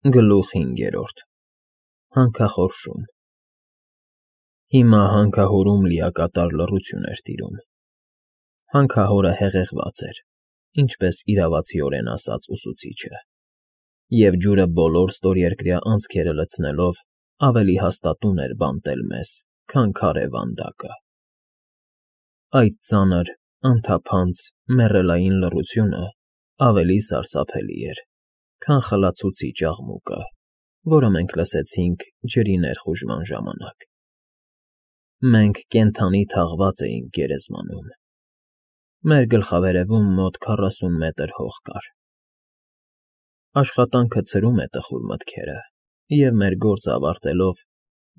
Գլուխ 5 Հանքախորշում Հիմա հանքահորում լիակատար լռություն էր տիրում։ Հանքահորը հեղեղված էր, ինչպես իրավացիորեն ասաց ուսուցիչը, և ջուրը բոլոր ստորերկրյա անցքերը լցնելով ավելի հաստատուն էր բանտել մեզ, քան քարե վանդակը։ Այդ ծանր, անթափանց, մեռելային լռությունը ավելի սարսափելի էր, քան խլացուցիչ աղմուկը, որը մենք լսեցինք ջրի ներխուժման ժամանակ։ Մենք կենդանի թաղված էինք գերեզմանում։ Մեր գլխավերևում մոտ 40 մետր հող կար։ Աշխատանքը ցրում է տխուր մտքերը, և մեր գործը ավարտելով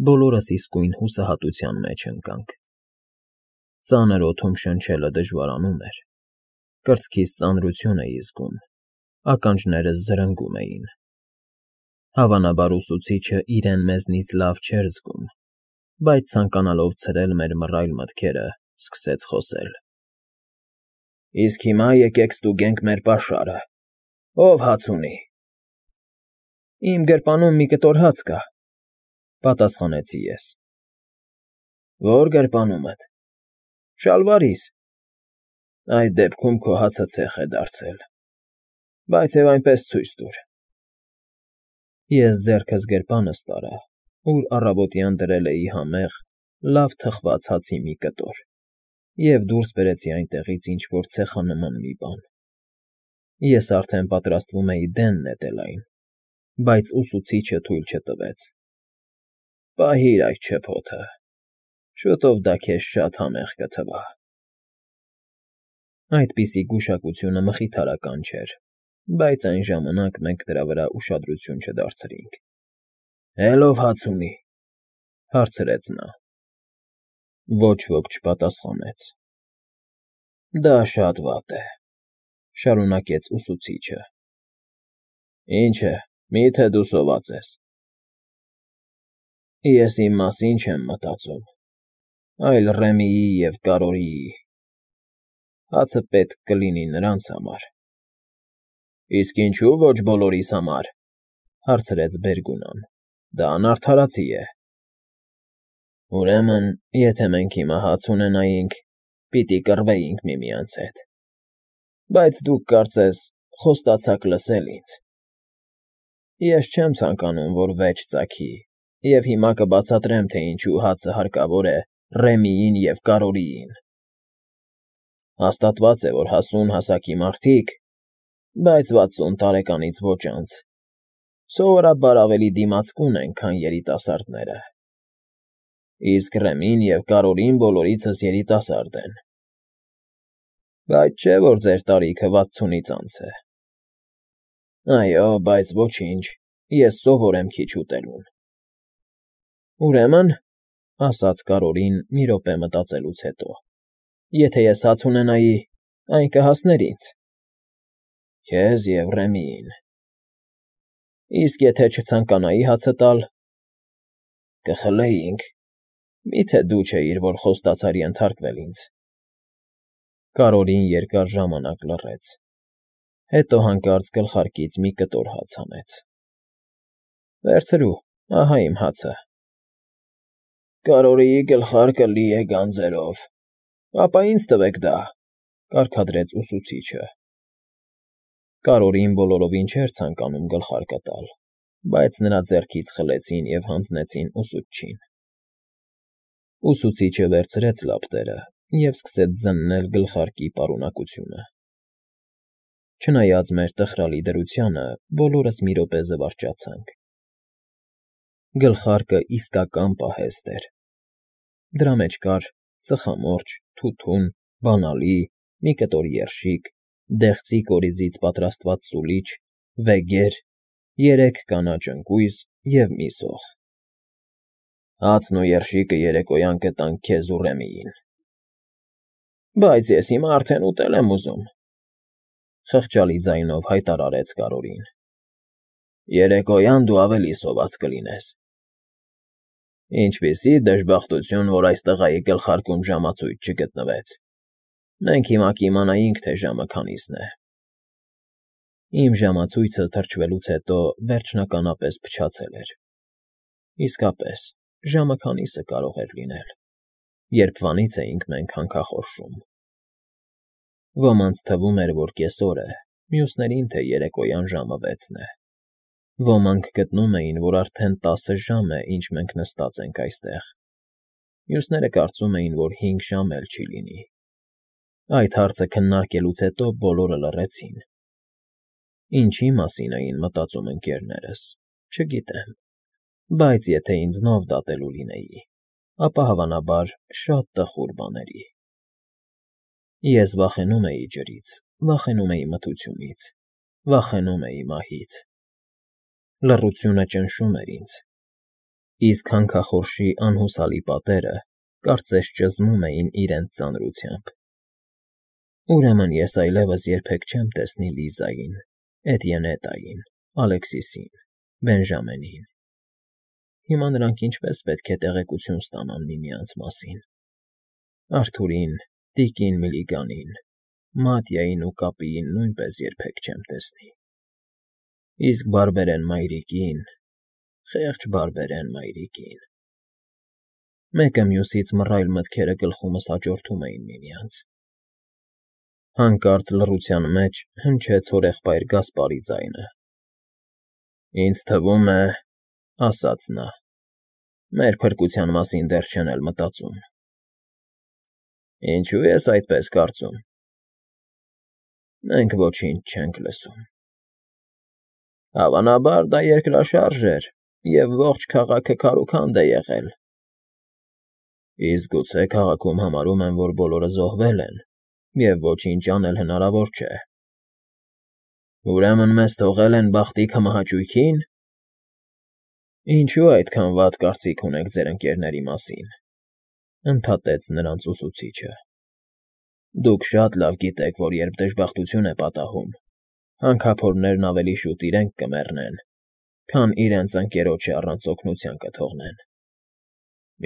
բոլորս իսկույն հուսահատության մեջ ընկանք։ Ծանր օդում շնչելը դժվարանում էր, կրծքիս ծանրություն էի զգում, ականջներս զրնգում էին։ Հավանաբար ուսուցիչը իրեն մեզնից լավ չէր զգում, բայց ցանկանալով ցրել մեր մռայլ մտքերը, սկսեց խոսել. Իսկ հիմա եկեք ստուգենք մեր պաշարը, ով հաց ունի։ Իմ գրպանում մի կտոր հաց կա, պատասխանեցի ես։ Ո՞ր գրպանումդ։ Շալվարիս։ Այդ դեպքում քո հացը ցեխ է դարձել, բայց և այնպես ցույց տուր։ Ես ձեռքս գրպանս տարա, ուր առավոտյան դրել էի համեղ, լավ թխված հացի մի կտոր, և դուրս բերեցի այնտեղից ինչ֊որ ցեխանման մի բան։ Ես արդեն պատրաստվում էի դեն նետել այն, բայց ուսուցիչը թույլ չտվեց։ Պահիր այդ չփոթը, շուտով դա քեզ շատ համեղ կթվա։ Այդպիսի գուշակությունը մխիթարական չէր, բայց այն ժամանակ մենք դրա վրա ուշադրություն չդարձրինք։ Էլ ով հաց ունի, հարցրեց նա։ Ոչ ոք չպատասխանեց։ Դա շատ վատ է, շարունակեց ուսուցիչը։ Ինչ է, միթե դու սոված ես։ Ես իմ մասին չեմ մտածում, այլ Ռեմիի և Կարորիի։ Հացը պետք կլինի նրանց համար։ Իսկ ինչու ոչ բոլորիս համար, հարցրեց Բերգունան։ Դա անարդարացի է։ Ուրեմն, եթե մենք հիմա հաց ունենայինք, պիտի կռվեինք միմյանց հետ։ Բայց դուք կարծես խոստացաք լսել ինձ։ Ես չեմ ցանկանում, որ վեճ ծագի, և հիմա կբացատրեմ, թե ինչու հացը հարկավոր է Ռեմիին և Կարորիին։ Հաստատված է, որ հասուն հասակի մարդիկ, բայց 60 տարեկանից ոչ անց, սովորաբար ավելի դիմացկուն են, քան երիտասարդները։ Իսկ Ռեմին և Կարորին բոլորիցս երիտասարդ են։ Բայց չէ, որ ձեր տարիքը 60-ից անց է։ Այո, բայց ոչինչ, ես սովոր եմ քիչ ուտելուն։ Ուրեմն, ասաց Կարորին մի րոպե մտածելուց հետո, եթե ես հաց ունենայի, այն կհասներ ինձ։ Քեզ և Ռեմիին։ Իսկ եթե չցանկանայի հացը տալ, կխլեինք, միթե դու չէիր, որ խոստացար ենթարկվել ինձ։ Կարորին երկար ժամանակ լռեց, հետո հանկարծ գլխարկից մի կտոր հաց հանեց։ Վերցրու, ահա իմ հացը։ Կարորիի գլխարկը լի է գանձերով, ապա ինձ տվեք դա, կարգադրեց ուսուցիչը։ Կարորին բոլորովին չէր ցանկանում գլխարկը տալ, բայց նրա ձեռքից խլեցին և հանձնեցին ուսուցչին։ Ուսուցիչը վերցրեց լապտերը և սկսեց զննել գլխարկի պարունակությունը։ Չնայած մեր տխրալի դրությանը, բոլորս մի րոպե զվարճացանք։ Գլխարկը իսկական պահեստ էր։ Դրա մեջ կար ծխամորճ, թութուն, բանալի, մի կտոր երշիկ, դեղցի կորիզից պատրաստված սուլիչ, վեգեր, 3 կանաչ ընկույզ և մի սոխ։ Հացն ու երշիկը երեկոյան կտանք քեզ ու Ռեմիին։ Բայց ես հիմա արդեն ուտել եմ ուզում, խղճալի ձայնով հայտարարեց Կարորին։ Երեկոյան դու ավելի սոված կլինես։ Ինչպիսի դժբախտություն, որ այս տղայի գլխարկում ժամացույց չգտնվեց։ Մենք հիմա կիմանայինք, թե ժամը քանիսն է։ Իմ ժամացույցը թրջվելուց հետո վերջնականապես փչացել էր։ Իսկապես, ժամը քանիսը կարող էր լինել, երբ վանից էինք մենք հանքախորշում։ Ոմանց թվում էր, որ կեսօր է, մյուսներին, թե երեկոյան ժամը 6-ն է։ Ոմանք գտնում էին, որ արդեն 10 ժամ է, ինչ մենք նստած ենք այստեղ։ Մյուսները կարծում էին, որ 5 ժամ էլ չի լինի։ Այդ հարցը քննարկելուց հետո բոլորը լռեցին։ Ինչի մասին էին մտածում ընկերներս, չգիտեմ, բայց եթե ինձնով դատելու լինեի, ապա հավանաբար շատ տխուր բաների։ Ես վախենում էի ջրից, վախենում էի մթությունից, վախենում էի մահից։ Լռությունը ճնշում էր ինձ, իսկ հանքախորշի անհուսալի պատերը կարծես ճզմում էին իրենց ծանրությամբ։ Ուրեմն ես այլևս երբեք չեմ տեսնի Լիզային, Էտիենետային, Ալեքսիսին, Բենժամենին։ Հիմա նրանք ինչպես պետք է տեղեկություն ստանան միմյանց մասին։ Արթուրին, տիկին Միլիգանին, Մատյային ու Կապիին նույնպես երբեք չեմ տեսնի։ Իսկ Բարբերեն մայրիկին, խեղճ Բարբերեն մայրիկին։ Մեկը մյուսից մռայլ մտքերը գլխումս հաջորդում էին միմյանց։ Հանկարծ լռության մեջ հնչեց հորեղբայր Գասպարի ձայնը։ Ինձ թվում է, ասաց նա, մեր փրկության մասին դեռ չեն էլ մտածում։ Ինչու ես այդպես կարծում։ Մենք ոչինչ չենք լսում։ Հավանաբար դա երկրաշարժ էր, և ողջ քաղաքը քարուքանդ է եղել։ Իսկ գուցե քաղաքում համարում են, որ բոլորը զոհվել են, և ոչինչ անել հնարավոր չէ։ Ուրեմն մեզ թողել են բախտի քմահաճույքին։ Ինչու այդքան վատ կարծիք ունեք ձեր ընկերների մասին, ընդհատեց նրանց ուսուցիչը։ Դուք շատ լավ գիտեք, որ երբ դժբախտություն է պատահում, հանքափորներն ավելի շուտ իրենք կմեռնեն, քան իրենց ընկերոջը առանց օգնության կթողնեն։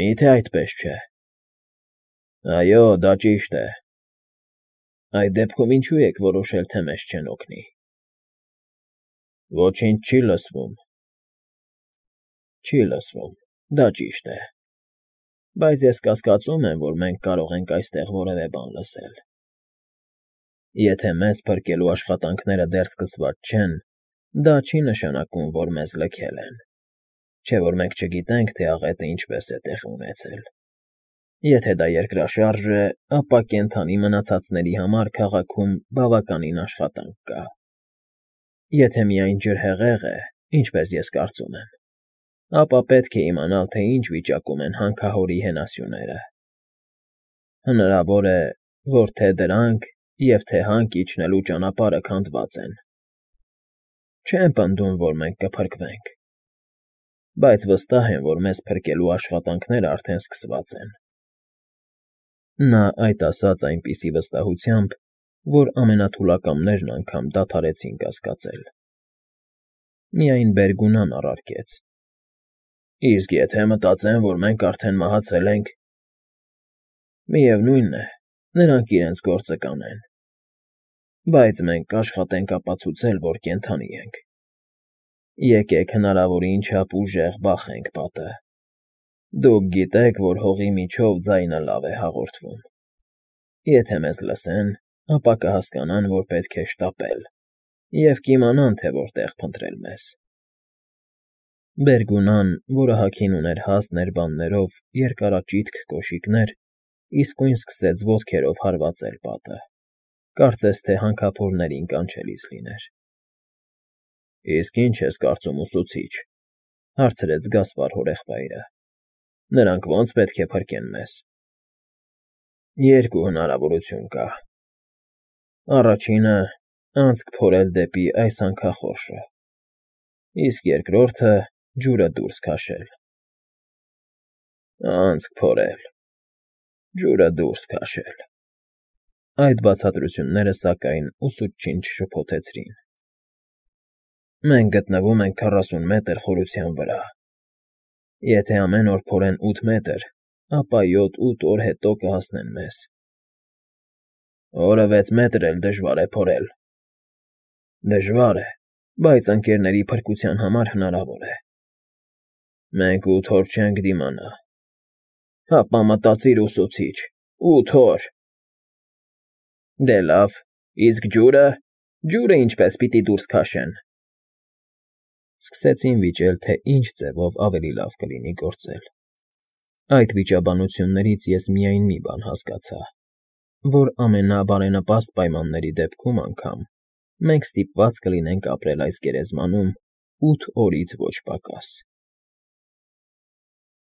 Մի՞թե այդպես չէ։ Այո, դա ճիշտ է։ Այդ դեպքում ինչու եք որոշել, թե մեզ չեն օգնի։ Ոչինչ չի լսվում։ Չի լսվում, դա ճիշտ է։ Բայց ես կասկածում եմ, որ մենք կարող ենք այստեղ որևէ բան լսել։ Եթե մեզ փրկելու աշխատանքները դեռ սկսված չեն, դա չի նշանակում, որ մեզ լքել են։ Չէ՞ որ մենք չգիտենք, թե աղետը ինչպես է տեղի ունեցել։ Եթե դա երկրաշարժ է, ապա կենդանի մնացածների համար քաղաքում բավականին աշխատանք կա։ Եթե միայն ջրհեղեղ է, ինչպես ես կարծում եմ, ապա պետք է իմանալ, թե ինչ վիճակում են հանքահորի հենասյուները։ Հնարավոր է, որ թե դրանք և թե հանք իջնելու ճանապարհը քանդված են։ Չեմ պնդում, որ մենք կփրկվենք, բայց վստահ եմ, որ մեզ փրկելու աշխատանքները արդեն սկսված են։ Նա այդ ասաց այնպիսի վստահությամբ, որ ամենաթուլակամներն անգամ դադարեցին կասկածել։ Միայն Բերգունան առարկեց. Իսկ եթե մտածեն, որ մենք արդեն մահացել ենք։ Միևնույն է, նրանք իրենց գործը կանեն։ Բայց մենք կաշխատենք ապացուցել, որ կենդանի ենք։ Եկեք հնարավորին չափ ուժեղ բախենք պատը։ Դուք գիտեք, որ հողի միջով ձայնը լավ է հաղորդվում։ Եթե մեզ լսեն, ապա կհասկանան, որ պետք է շտապել, և կիմանան, թե որտեղ փնտրել մեզ։ Բերգունան, որը հագին ուներ հաստ ներբաններով երկարաճիթք կոշիկներ, իսկույն սկսեց ոտքերով հարվածել պատը, կարծես թե հանքափորներին կանչելիս լիներ։ Իսկ ինչ ես կարծում, ուսուցիչ, հարցրեց Գասպար հորեղբայրը։ Նրանք ո՞նց պետք է փրկեն մեզ։ Երկու հնարավորություն կա։ Առաջինը անցք փորել դեպի այս հանքախորշը, իսկ երկրորդը ջուրը դուրս քաշել։ Անցք փորել, ջուրը դուրս քաշել։ Այդ բացատրությունները, սակայն, ուսուցչին չշփոթեցրին։ Մենք գտնվում ենք 40 մետր խորության վրա։ Եթե ամեն օր փորեն 8 մետր, ապա 7-8 օր հետո կհասնեն մեզ։ Օրը 6 մետր էլ դժվար է փորել։ Դժվար է, բայց ընկներների փրկության համար հնարավոր է։ Մենք 8 օր չենք դիմանա։ Հապա մտածիր, ուսուցիչ, 8 օր… Դե լավ, իսկ ջուրը… Ջուրը ինչպե՞ս պիտի դուրս քաշեն… Սկսեցին վիճել, թե ինչ ձևով ավելի լավ կլինի գործել։ Այդ վիճաբանություններից ես միայն մի բան հասկացա, որ ամենաբարենպաստ պայմանների դեպքում անգամ մենք ստիպված կլինենք ապրել այս գերեզմանում 8 օրից ոչ պակաս։